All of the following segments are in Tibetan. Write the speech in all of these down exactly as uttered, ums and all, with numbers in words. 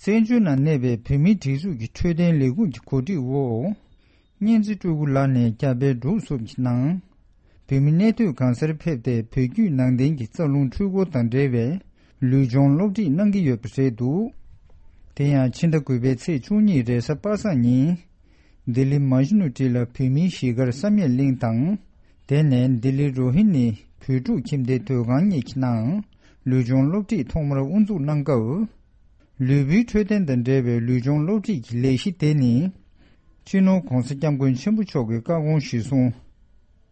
བཙན་བྱོལ་ནང་གནས་པའི་བོད་མིའི་སྒྲིག་འཛུགས་ཀྱི་འཕྲོད་བསྟེན་ལས་ཁུངས་ཀྱི་གོ་སྒྲིག་འོག་གཉན་བཙན་སྤྲུལ་སྐུ་ལགས་ནས་རྒྱ་བལ་འབྲུག་གསུམ་གྱི་ནང་བོད་མི་གནས་སྡོད་གང་སར་ཕེབས་ཏེ་བོད་བརྒྱུད་ནང་བསྟན་གྱི་རྩ་རླུང་འཁྲུལ་འཁོར་དང་འབྲེལ་བའི་ལུས་སྦྱོང་སློབ་ཁྲིད་གནང་གི་ཡོད་པ་རེད་འདུག་དེ་ཡང་ཕྱི་ཟླ་དགུ་པའི་ཚེས་བཅུ་གཉིས་རེས་གཟའ་པ་སངས་ཉིན་ལྡི་ལི་མ་ཇུ་ནུ་ཊི་ལ་བོད་མིའི་གཞིས་སྒར་བསམ་ཡས་གླིང་དང་། དེ་ནས་ལྡི་ལི་རོ་ཧི་ནི་བོད་ཕྲུག་ཁྱིམ་སྡེའི་སྡོད་ཁང་གཉིས་ཀྱི་ནང་ལུས་སྦྱོང་སློབ་ཁྲིད་ཐོག་མར་དབུ་འཛུགས་གནང་སྐབས། ལུས་པོའི་འཕྲོད་བསྟེན་དང་འབྲེལ་བའི་ལུས་སྦྱོང་སློབ་ཁྲིད་ཀྱི་ལས་གཞི་དེ་ནི། སྤྱི་ནོར་༧གོང་ས་༧སྐྱབས་མགོན་ཆེན་པོ་མཆོག་གི་བཀའ་དགོངས་གཞིར་བཟུང་།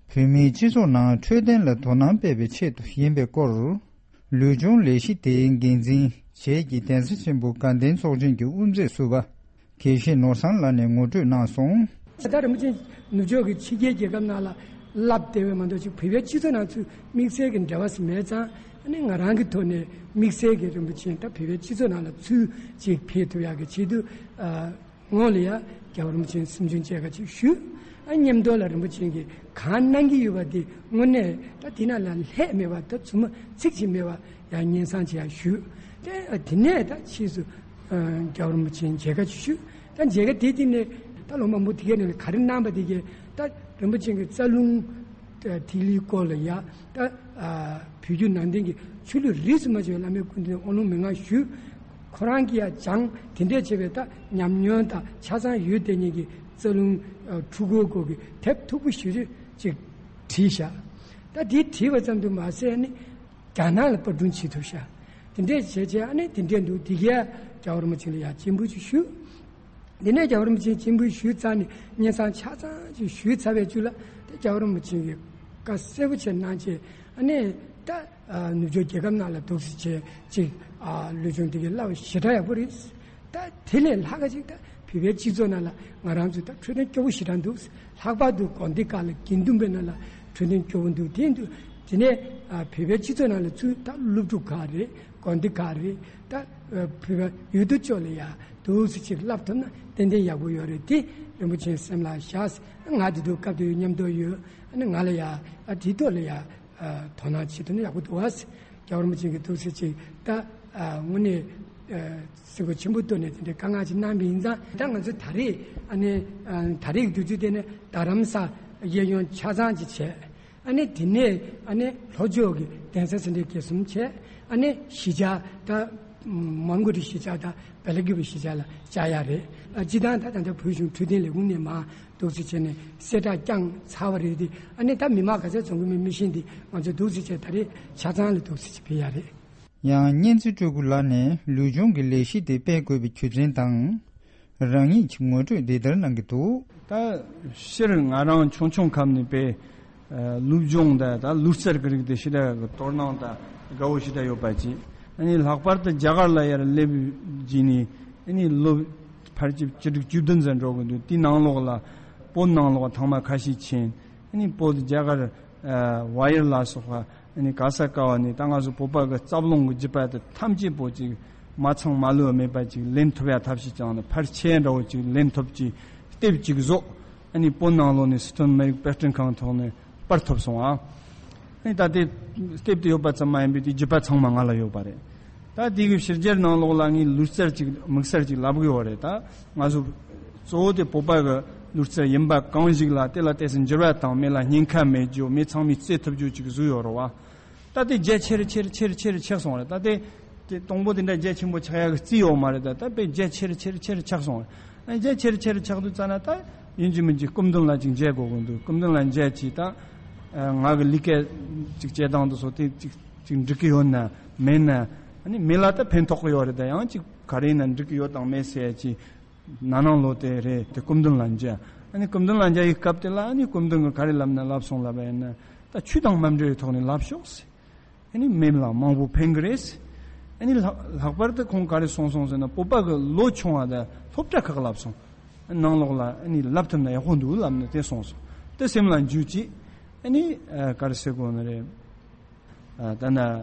བོད་མིའི་སྤྱི་ཚོགས་ནང་འཕྲོད་བསྟེན་ལ་དོ་སྣང་སྤེལ་བའི་ཆེད་དུ་ཡིན་པའི་སྐོར། ལུས་སྦྱོང་ལས་གཞི་དེའི་འགན་འཛིན་བྱས་ཀྱི་གདན་ས་ཆེན་པོ་དགའ་ལྡན་ཚོགས་ཆེན་གྱི་དབུ་མཛད་ཟུར་པ་དགེ་བཤེས་ནོར་བཟང་ལགས་ནས་ངོ་སྤྲོད་གནང་སོང་། ད་རིན་པོ་ཆེ་ནུབ་ཕྱོགས་ཀྱི་ཕྱི་རྒྱལ་རྒྱལ་ཁབ་ནང་ལ་བསླབ་བསྡད་པའི་མ་གཏོགས་ཅིག་བོད་པའི་སྤྱི་ཚོགས་ནང་ཚུད་དམིགས་བསལ་གྱི་འབྲེལ་བ་ཞིག་མེད་ཙང་། ཨ་ནི་ང་རང་གི་ཐོག་ནས་དམིགས་བསལ་གྱི་རིན་པོ་ཆེ་ད་བོད་པའི་སྤྱི་ཚོགས་ནང་ལ་ཚུད་ཅིག་ཕེབས་ཐུབ་ཡག་གི་ཆེད་དུ། ཨ། སྔོན་ལ་ཡང་རྒྱལ་བ་རིན་པོ་ཆེའི་གསུང་ཆོས་མཇལ་ཁ་ཅིག་ཞུས། ཨ། མཉམ་དུ་ལ་རིན་པོ་ཆེ་གིས་གང་གནང་གི་ཡོད་པ་དེ་དངོས་གནས་ད་དེ་ན་ལ་ལྷད་མེད་པ་ད་ཚུར་མ་ཚིག་ཅིག་མེད་པ་ཡང་སྙན་སེང་ཅིག་ཡང་ཞུས། དེ་དེ་ནས་ད་ཕྱིས་སུ་ཨ། རྒྱལ་བ་རིན་པོ་ཆེའི་མཇལ་ཁ་ཅིག་ཞུས། ད་མཇལ་ཁ་དེ་དེ་ནས་ད་ལོ་མང་པོ་དེ་གའི་ནང་ལ་ག་རེ་གནང་པ་དེ་གའི་ད་རིན་པོ་ཆེ་གི་རྩ་རླུང་ཐིག་ལེའི་སྐོར་ལ་ཡ་ད། ཨ། བོད་བརྒྱུད་ནང་བསྟན་གྱི་ཆོས་ལུགས་རིས་སུ་མ་ཆད་པའི་བླ་མའི་སྐུ་མདུན་དབང་ལུང་མན་ངག་ཞུས། ཁོ་རང་གིས་ཡང་སྦྱངས་དེ་འདྲས་བྱས་པའི་ད་ཉམས་མྱོང་དང་ཆ་ཚང་ཡོད་དེ་ཉིད་ཀྱི་རྩ་རླུང་འཁྲུལ་འཁོར་སྐོར་གྱི་དེབ་མཐུག་པོ་ཞེ་ཅིག་བྲིས་བཞག་ད་དེ་བྲིས་པ་ཙམ་དུ་མ་ཟད་ནི་རྒྱ་ནག་ལ་པར་སྐྲུན་བྱེད་ཐུབ་བཞག་དེ་འདྲས་བྱས་བྱས་ཨ་ནི་དེ་འདྲས་འདུག་དེ་གས་རྒྱལ་བ་རིན་པོ་ཆེ་ལ་ཡང་སྤྱན་འབུལ་ཅིག་ཞུས། དེ་ནས་རྒྱལ་བ་རིན་པོ་ཆེ་སྤྱན་འབུལ་ཞུས་ཚར་ནས་སྙན་སེང་ཆ་ཚང་ཅིག་ཞུས་ཚར་བའི་བརྒྱུད་ལ་ད་རྒྱལ་བ་རིན་པོ་ཆེ་གིས་བཀའ་གསལ་པོ་བྱས་གནང་བྱས་ཨ་ནི་ད་ནུབ་ཕྱོགས་རྒྱལ་ཁབ་ནང་ལ་འདུག་སེ་བྱས་ཅིག་ལུས་སྦྱོང་དེ་གའི་བསླབ་པ་ཞེ་དྲག་ཡག་པོ་རེད། ད་དེ་ལས་ལྷག་ག་ཅིག་ད་བོད་པའི་སྤྱི་ཚོགས་ནང་ལ་ང་རང་ཚོ་ད་འཕྲོད་བསྟེན་སྐྱོ་པོ་ཞེ་དྲག་འདུག་ལྷག་པར་དུ་དགོན་སྡེ་ཁག་ལ་དགེ་འདུན་པའི་ནང་ལ་འཕྲོད་བསྟེན་སྐྱོ་པོ་འདུག་དེ་འདུག་དེ་ནས་བོད་པའི་སྤྱི་ཚོགས་ནང་ལ་ཚུད་ད་སློབ་ཕྲུག་ཁག་རེད། དགོན་སྡེ་ཁག་རེད། ད་བོད་པ་ཡུལ་དུ་ཕྱོགས་ལ་ཡ་འདུག་སེ་ཅིག་བསླབ་ཐུབ་ན་ཏན་ཏན་ཡག་པོ་ཡོད་རེད། དེ་རིན་པོ་ཆེའི་སེམས་ལ་བཞག་ང་དེ་དུས་སྐབས་དེ་མཉམ་དུ་ཡོད། ཨ་ནི་ང་ལ་ཡ་ཨ་དེའི་ཐོག་ལ་ཡ་དོ་སྣང་བྱེད་ཐུབ་ན་ཡག་པོ་འདུག་ཨ། རྒྱལ་བ་རིན་པོ་ཆེ་གིས་འདུག་སེ་ཅིག་ད་དངོས་གནས་སེམས་ཁུར་ཆེན་པོ་བཏོན་ནས་དེ་འདྲའི་དཀའ་ངལ་ཅིག་གནང་བ་ཡིན་ཙང་ད་ང་ཚོ་ད་རེས་ཨ་ནི་ད་རེས་ཀྱི་དུས་ཚོད་དེ་ནས་རྡ་རམ་ས་གཡས་གཡོན་ཆ་ཚང་ཅིག་བྱས། ཨ་ནི་དེ་ནས་ཨ་ནི་ལྷོ་ཕྱོགས་ཀྱི་གདན་ས་སེ་འབྲས་དགེ་གསུམ་བྱས། ཨ་ནི་གཞིས་ཆགས་ད་མོན་གྷོ་རི་གཞིས་ཆགས་དང་བེ་ལ་ཀི་པི་གཞིས་ཆགས་ལ་བཅར་ཡག་རེད། ཨ་སྤྱི་བཏང་ད་ད་ལྟ་བོད་གཞུང་འཕྲོད་བསྟེན་ལས་ཁུངས་ནས་མར་འདུག་སེ་བྱས་ནས་གསལ་བསྒྲགས་བསྐྱངས་ཚར་བ་རེད་དེ། ཨ་ནི་ད་མི་མང་ག་ཚོད་འཛོམས་ཀྱི་མེད་མི་ཤེས་དེ་ང་ཚོ་འདུག་སེ་བྱས་ད་རེས་ཆ་ཚང་ལ་འདུག་སེ་བྱས་ཕེབས་ཡག་རེད། ཡང་གཉན་བཙན་སྤྲུལ་སྐུ་ལགས་ནས་ལུས་སྦྱོང་གི་ལས་གཞི་དེ་སྤེལ་དགོས་པའི་རྒྱུ་མཚན་དང་། རང་ཉིད་ཀྱི་ངོ་སྤྲོད་འདི་ལྟར་གནང་གི་འདུག་ད་སྤྱིར་ང་རང་ཆུང་ཆུང་སྐབས་ནས་དཔེ་ལུས་སྦྱོང་དང་ད་ལུས་རྩལ་གྱི་རིགས་དེ་ཞེ་དྲག་གི་དོ་སྣང་དང་དགའ་བོ་ཞེ་དྲག་ཡོད་པ་ཅིག་ཨ་ནི་ལྷག་པར་དུ་རྒྱ་གར་ལ་ཡར་སླེབས་རྗེས་ནས་ཨ་ནི་ལོ་ཕལ་ཆེར་བཅུ་དྲུག་བཅུ་བདུན་ཙམ་འགྲོ་གི་འདུག་དེའི་ནང་ལོགས་ལ་བོད་ནང་ལོགས་ཐེངས་མ་ཁ་ཤས་ཕྱིན། ཨ་ནི་བོད་རྒྱ་གར་ཝ་ཡར་ལ་སོགས་པ། ཨ་ནི་ག་ས་ག་བ་ནས་ད་ང་ཚོ་བོད་པ་གི་རྩ་རླུང་གི་རྒྱུད་པ་དེ་ཐམས་ཅད་པོ་ཅིག་མ་ཚང་མ་ལུས་མེད་པ་ཅིག་ལེན་ཐུབ་ཡ་ཐབས་ཤེས་ཀྱང་ནི་ཕལ་ཆེར་འདྲ་བོ་ཅིག་ལེན་ཐུབ་ཀྱི་དེབ་ཅིག་བཟོ། ཨ་ནི་བོད་ནང་ལོགས་ནས་སི་ཁྲོན་མི་རིགས་དཔེ་སྐྲུན་ཁང་ཐོག་ནས་པར་ཐུབ་སོང་ཨ། ཨ་ནི་ད་དེ་དེབ་དེ་ཡོད་པ་ཙམ་མ་ཡིན་པའི་དེའི་རྒྱུད་པ་ཚང་མ་ང་ལ་ཡོད་པ་རེད། ད་དེ་གི་ཕྱི་རྒྱལ་ནང་ལོགས་ལ་ངས་ལུས་རྩལ་ཅིག་དམིགས་བསལ་ཅིག་ལབ་གི་ཡོད་རེད། ད་ང་ཚོ་གཙོ་བོ་དེ་བོད་པ་གི་ལུས་རྩལ་ཡིན་པ་གང་ཞིག་ལ་དེ་ལ་ཏོག་ཙམ་འགྱུར་བ་དང་མི་ལ་ཉེན་ཁ་མེད་རྒྱུ་མི་ཚང་མས་རྩེ་ཐུབ་རྒྱུ་ཅིག་བཟོས་ཡོད་རེད་བ། ད་དེ་རྒྱ་ཆེར་ཆེར་ཆེར་ཆེར་ཆག་སོང་རེད། ད་དེ་དེ་དང་པོ་དེ་འདྲ་རྒྱ་ཆེན་པོ་ཆག་ཡག་གི་རྩིས་ཡོད་མ་རེད། ད་ད་དཔེ་རྒྱ་ཆེར་ཆེར་ཆེར་ཆག་སོང་རེད། རྒྱ་ཆེར་ཆེར་ཆག་དུས་ཙ་ན་ད་ཡིན་གཅིག་མིན་གཅིག་སྐུ་མདུན་ལ་ཅིག་མཇལ་དགོས་ཀྱི་འདུག་སྐུ་མདུན་ལ་མཇལ་ཅིག་ད་ང་གི་ལས་ཀ་ཅིག་བྱེད་སྟངས་དེ་ཚོ་དེ་ཅིག་ཅིག་འགྲིག་གི་ཡོད་ན་མེད་ན། ཨ་ནི་མི་ལ་ད་ཕན་ཐོགས་ཀྱི་ཡོད་རེད། ད་ཡང་ཅིག་ག་རེ་ཡིན་ན་འགྲིག་གི་ཡོད་དང་མེད་ཟེར་ཡ་ཅིག་ན་ནང་ལོགས་དེ་རེད། དེ་སྐུ་མདུན་ལ་མཇལ། ཨ་ནི་སྐུ་མདུན་ལ་མཇལ་ཡི་སྐབས་དེ་ལ་ཨ་ནི་སྐུ་མདུན་གྱིས་ག་རེ་ལབ་ན་ལབ་སོང་ལབ་པ་ཡིན་ན། ད་ཆོས་དང་མ་འབྲེལ་བའི་ཐོག་ནས་ལབ་ཤོག་ཟེར། ཨ་ནི་མི་ལ་མང་པོ་ཕན་གི་རེད་ཟེར། ཨ་ནི་ལྷག་ལྷག་པར་དུ་ཁོང་ག་རེ་གསུངས་སོང་ཟེར་ན་བོད་པ་གི་ལོ་ཆུང་བ་དང་སློབ་གྲྭ་ཁག་ལབ་སོང་། ནང་ལོགས་ལ་ཨ་ནི་ལབ་ཐུབ་ན་ཡག་པོ་འདུག་ལབ་ནས་དེ་གསུངས་སོང་། དེ་སེམས་ལ་འཇུ་ཅིག་ཨ་ནི་ག་རེ་ཟེར་དགོས་ནི་རེད། ད་ན་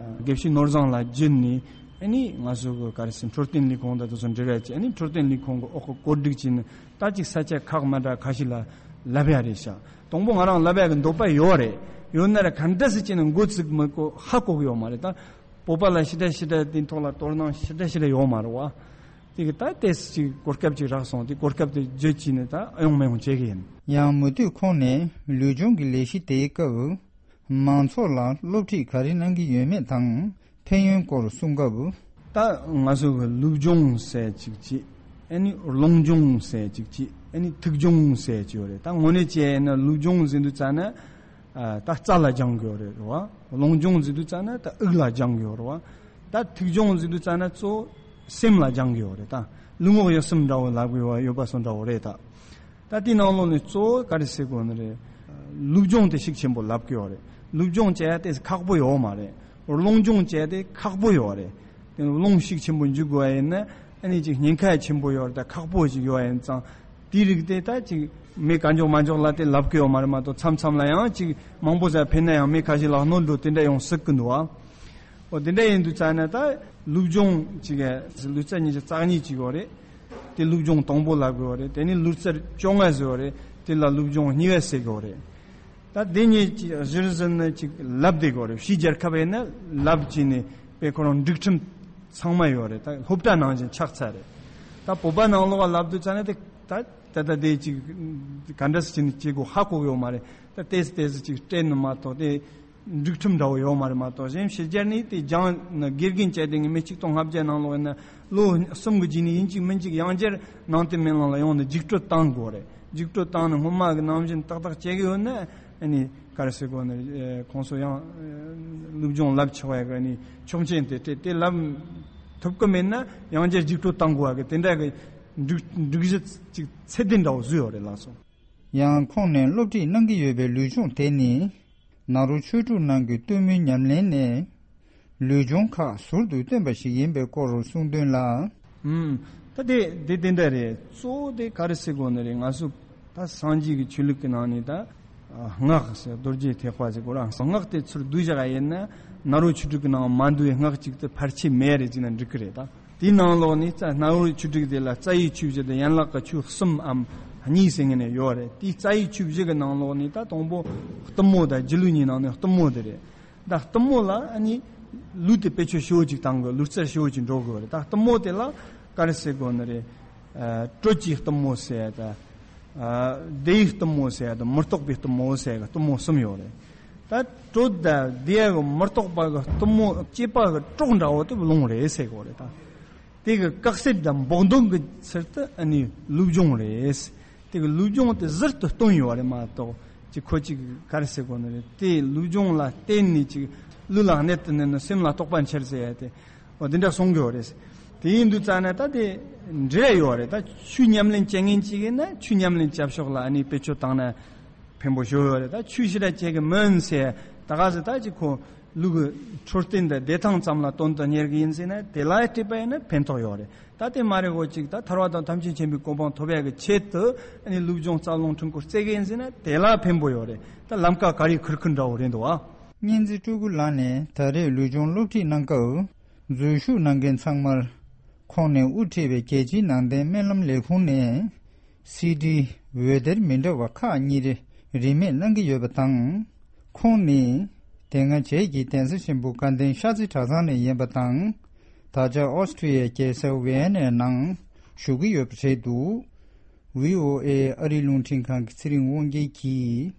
དགེ་བཤེས་ནོར་བཟང་ལགས་བརྒྱུད་ནས་ཨ་ནི་ང་ཚོ་གི་ག་རེ་ཟེར་འཕྲོད་བསྟེན་ལས་ཁུངས་དང་དེ་ཚོ་འབྲེལ་བ་བྱས། ཨ་ནི་འཕྲོད་བསྟེན་ལས་ཁུངས་གི་འོག་གི་བཀོད་སྒྲིག་བྱས་ནས་ད་ཅིག་ས་ཆ་ཁག་མ་འདྲ་ཁ་ཤས་ལ་ལབ་ཡ་རེད་ཤག་དང་པོ་ང་རང་ལབ་ཡ་གི་འདོད་པ་ཡོད་རེད། ཡོད་ན་ར་ག་འདྲ་སེ་བྱས་ནས་འགོ་ཚུགས་མི་དགོས་ཧ་གོ་གི་ཡོད་མ་རེད། ད་བོད་པ་ལ་ཞེ་དྲག་ཞེ་དྲག་དེའི་ཐོག་ལ་དོ་སྣང་ཞེ་དྲག་ཞེ་དྲག་ཡོད་མ་རེད་བ། དེ་གི་ད་ཏེས་ཅིག་གོ་སྐབས་ཅིག་རག་སོང་། དེ་གོ་སྐབས་དེ་བརྗེད་ཀྱིས་ནས་ད་ཨ་ཡོང་མ་ཡོང་བྱེད་གི་ཡིན། ཡང་མུ་མཐུད་ཁོང་ནས་ལུས་སྦྱོང་གི་ལས་གཞི་དེའི་སྐབས་མང་ཚོགས་ལ་སློབ་ཁྲིད་ག་རེ་གནང་གི་ཡོད་མེད་དང་ཕན་ཡོན་སྐོར་གསུང་སྐབས། ད་ང་ཚོ་གི་ལུས་སྦྱོང་ཟེར་ཅིག་ཅིག་ཨ་ནི་རླུང་སྦྱོང་ཟེར་ཅིག་ཅིག་ཨ་ནི་ཐུགས་སྦྱོང་ཟེར་ཅིག་ཡོད་རེད། ད་དངོས་གནས་བྱས་ན་ལུས་སྦྱོང་ཟེར་དུས་ཙ་ན། ཨ། ད་རྩ་ལ་སྦྱང་གི་ཡོད་རེད་བ། རླུང་སྦྱོང་ཟེར་དུས་ཙ་ན་ད་དབུགས་ལ་སྦྱང་གི་ཡོད་རེད་བ། ད་ཐུགས་སྦྱོང་ཟེར་དུས་ཙ་ན་གཙོ་བོ་སེམས་ལ་སྦྱང་གི་ཡོད་རེད། ད་ལུས་ངག་ཡིད་གསུམ་འདྲ་བོ་ལབ་གི་ཡོད་པ་སོགས་འདྲ་བོ་རེད་ད། ད་དེའི་ནང་ལོགས་ནས་གཙོ་བོ་ག་རེ་ཟེར་དགོས་ནི་རེད། ལུས་སྦྱོང་དེ་ཤུགས་ཆེན་པོ་ལབ་གི་ཡོད་རེད། ལུས་སྦྱོང་བྱེད་ཡ་དེ་ཁག་པོ་ཡོད་མ་རེད། རླུང་སྦྱོང་བྱེད་ཡ་དེ་ཁག་པོ་ཡོད་རེད། དེ་རླུང་ཤུགས་ཆེན་པོ་འཇུག་དགོས་པ་ཡིན་ན། ཨ་ནི་ཅིག་ཉེན་ཁ་ཆེན་པོ་ཡོད་རེད། ད་ཁག་པོ་ཞིག་ཡོད་པ་ཡིན་ཙང་། དེའི་རིགས་དེ་ད་ཅིག་མི་གང་མགྱོགས་མ་མགྱོགས་ལ་དེ་ལབ་གི་ཡོད་མ་རེད་མ་གཏོགས། མཚམས་མཚམས་ལ་ཡང་ཅིག་མང་པོ་ཟ་ཕན་ན་ཡང་མི་ཁ་ཤས་ལ་གནོད་འགྲོ་དེ་འདྲ་ཡོང་སྲིད་གི་འདུག་ཨ། འོ་དེ་འདྲ་ཡིན་དུས་ཙ་ན་ད་ལུས་སྦྱོང་ཅིག་ལུས་རྩལ་ཉིས་བརྒྱ་རྩ་གཉིས་ཅིག་ཡོད་རེད། དེ་ལུས་སྦྱོང་དང་པོ་ལབ་གི་ཡོད་རེད། དེ་ནས་ལུས་རྩལ་བཅོ་ལྔ་ཟེར་ཡོད་རེད། དེ་ལ་ལུས་སྦྱོང་གཉིས་པ་ཟེར་གི་ཡོད་རེད། ད་དེ་གཉིས་ཀྱི་གཞིར་བཟུང་ནས་ཅིག་ལབ་བསྡད་དགོས་རེད། ཕྱིའི་རྒྱལ་ཁབ་ཡིན་ན་ལབ་བྱས་ནས་དཔེ་ཁོ་རང་སྒྲིག་ཁྲིམས་ཚང་མ་ཡོད་རེད། ད་སློབ་གྲྭ་ནང་བཞིན་ཆགས་ཚར་རེད། ད་བོད་པ་ནང་ལོགས་ལ་ལབ་དུས་ཙ་ན་དེ་ད་ད་ད་དེ་ཅིག་ག་འདྲ་སེ་བྱས་ནས་བྱེད་དགོས་ཧ་གོ་གི་ཡོད་མ་རེད། ད་ཏོག་ཙམ་ཏོག་ཙམ་ཅིག་སྤྲད་ནི་མ་གཏོགས་དེ་སྒྲིག་ཁྲིམས་འདྲ་བོ་ཡོད་མ་རེད་མ་གཏོགས། གཞན་ཕྱི་རྒྱལ་ནས་དེ་སྦྱང་ན་དགེ་རྒན་བྱས་དེ་ངས་མི་ཆིག་སྟོང་ལྔ་བརྒྱ་ནང་ལོགས་ཡིན་ན་ལོ་གསུམ་གྱི་རྗེས་ནས་ཡིན་གཅིག་མིན་གཅིག་ཡང་བསྐྱར་ནང་བསྟན་སྨོན་ལམ་ལ་ཡོང་ནས་རྒྱུགས་སྤྲོད་བཏང་དགོས་རེད། རྒྱུགས་སྤྲོད་བཏང་ནས་སྔོན་མ་གི་ནང་བཞིན་ཏག་ཏག་བྱེད་གི་ཡོད་ན། ཨ་ནི་ག་རེ་ཟེར་དགོས་ནི། ཨེ། ཁོང་ཚོ་ཡང་ལུས་སྦྱོང་ལབ་ཆོག་ཡ་གི་ཨ་ནི་ཆོག་མཆན་དེ་སྤྲད་དེ་ལབ་ཐུབ་གི་མེད་ན་ཡང་བསྐྱར་རྒྱུགས་སྤྲོད་བཏང་དགོས་ཡ་གི་དེ་འདྲ་གི་སྒྲིག་སྒྲིག་གཞི་ཅིག་ཚད་ལྡན་འདྲ་བོ་བཟོས་ཡོད་རེད་ལགས་སོ། ཡང་ཁོང་ནས་སློབ་ཁྲིད་གནང་གི་ཡོད་པའི་ལུས་སྦྱོང་དེ་ནི་ནཱ་རོ་ཆོས་དྲུག་ནང་གི་གཏུམ་མོའི་ཉམས་ལེན་ནས་ལུས་སྦྱོང་ཁག་ཟུར་དུ་བཏོན་པ་ཞིག་ཡིན་པའི་སྐོར་གསུངས་དོན་ལ། ཨུམ། ད་དེ་དེ་དེ་འདྲ་རེད། གཙོ་བོ་དེ་ག་རེ་ཟེར་དགོས་ནི་རེད། ང་ཚོ་ད་སངས་རྒྱས་ཀྱི་ཆོས་ལུགས་ཀྱི་ནང་ནས་ད་སྔགས་ཟེར་རྡོ་རྗེ་ཐེག་པ་ཟེར་དགོས་ར། སྔགས་དེ་ཚུར་བསྡུས་བཞག་ཡིན་ན་ནཱ་རོ་ཆོས་དྲུག་གི་ནང་མ་འདུས་པའི་སྔགས་གཅིག་དེ་ཕལ་ཆེར་མེད་རེད་ཅེ་ན་འགྲིག་གི་རེད་ད། དེའི་ནང་ལོགས་ནས་རྩ་ནཱ་རོ་ཆོས་དྲུག་དེ་ལ་རྩ་བའི་ཆོས་བཞི་དང་ཡན་ལག་གི་ཆོས་གསུམ་འམ་གཉིས་ཟེར་ངེས་ནས་ཡོད་རེད། དེའི་རྩ་བའི་ཆོས་བཞི་གི་ནང་ལོགས་ནས་ད་དང་པོ་གཏུམ་མོ་དང་སྒྱིད་ལུག་གཉིས་ནང་ནས་གཏུམ་མོ་དེ་རེད། ད་གཏུམ་མོ་ལ་ཨ་ནི་ལུས་དེ་བེད་སྤྱོད་ཞེ་པོ་ཅིག་བཏང་དགོས། ལུས་རྩལ་ཞེ་པོ་ཅིག་འགྲོ་དགོས་རེད། ད་གཏུམ་མོ་དེ་ལ་ག་རེ་ཟེར་དགོས་ནི་རེད། ཨ། དྲོད་ཀྱི་གཏུམ་མོ་ཟེར་ཡ་དང་། ཨ། བདེ་བའི་གཏུམ་མོ་ཟེར་ཡ་དང་མི་རྟག་པའི་གཏུམ་མོ་ཟེར་ཡ་གི་གཏུམ་མོ་གསུམ་ཡོད་རེད། ད་དྲོད་དང་བདེ་བ་གི་མི་རྟག་པ་གི་གཏུམ་མོ་སྐྱེས་པ་གི་གྲོགས་འདྲ་བོ་དེ་རླུང་རེད་ཟེར་དགོས་རེད་ད། དེ་གི་དཀའ་སེལ་དང་འབོག་འདོན་གྱི་ཚུལ་དུ་ཨ་ནི་ལུས་སྦྱོང་རེད། དེ་གི་ལུས་སྦྱོང་དེ་ཟུར་དུ་བཏོན་ཡོད་རེད་མ་གཏོགས། ཅིག་ཁོ་ཅིག་ག་རེ་ཟེར་དགོས་ནི་རེད། དེ་ལུས་སྦྱོང་ལ་བརྟེན་ནས་ཅིག་ལུས་ལ་གནད་དུ་བསྣུན་ནས་སེམས་ལ་རྟོགས་པ་འཆར་ཟེར་ཡ་དེ། འོ་དེ་འདྲ་གསུང་གི་ཡོད་རེད། དེ་ཡིན་དུས་ཙ་ན་ད་དེ་འབྲེལ་ཡོད་རེད། ད་ཆོས་ཉམས་ལེན་བྱེད་མཁན་ཅིག་ཡིན་ན་ཆོས་ཉམས་ལེན་བྱ་ཕྱོགས་ལ་ཨ་ནི་བེད་སྤྱོད་བཏང་ན་ཕན་པོ་ཞེ་པོ་ཡོད་རེད། ད་ཆོས་ཞེ་དྲག་བྱེད་གི་མིན་ཟེར་ད་ག་ཟེ་ད་ཅིག་ཁོ་ལུས་ཀྱི་འཕྲོད་བསྟེན་དང་བདེ་ཐང་ཙམ་ལ་དོན་དུ་གཉེར་གི་ཡིན་ཟེར་ན་དེ་ལ་སྤྲད་པ་ཡིན་ན་ཕན་ཐོགས་ཡོད་རེད། ད་དེ་མ་རེད་གོ་ཅིག་ད་ཐར་པ་དང་ཐམས་ཅད་མཁྱེན་པའི་གོ་འཕང་ཐོབ་ཡག་གི་ཆེད་དུ་ཨ་ནི་ལུས་སྦྱོང་རྩལ་རླུང་འཕྲིན་སྐོར་རྩེ་གི་ཡིན་ཟེར་ན་དེ་ལ་ཕན་པོ་ཡོད་རེད། ད་ལམ་ཀ་ག་རེ་ཁུར་ཁུར་འདྲ་བོ་རེད་འདུག་ཨ། གཉན་རྩེ་སྤྲུལ་སྐུ་ལགས་ནས་ད་རེས་ལུས་སྦྱོང་སློབ་ཁྲིད་གནང་སྐབས་འཛུལ་ཞུགས་གནང་མཁན་ཚང་མར་ཁོང་ནས་དབུ་ཁྲིད་པའི་རྒྱལ་སྤྱིའི་ནང་བསྟན་སྨོན་ལམ་ལས་ཁུངས་ནས་སི་ཌི་འོད་སྡེར་མི་འདྲ་བ་ཁག་གཉིས་རེ་རིན་མེད་གནང་གི་ཡོད་པ་དང་། ཁོང་ནི་དེ་སྔ་བྱེས་ཀྱི་གདན་ས་ཆེན་པོ་དགའ་ལྡན་ཤར་རྩེ་གྲྭ་ཚང་ནས་ཡིན་པ་དང་། ད་ཆ་ཨོ་སི་ཀྲི་ཡའི་རྒྱལ་ས་ཝི་ཡན་ནའི་ནང་བཞུགས་ཀྱི་ཡོད་པ་རེད་འདུག། ཝི་ཨོ་ཨེ་ཨ་རིའི་རླུང་འཕྲིན་ཁང་གི་ཚེ་རིང་དབང་རྒྱལ་གྱིས་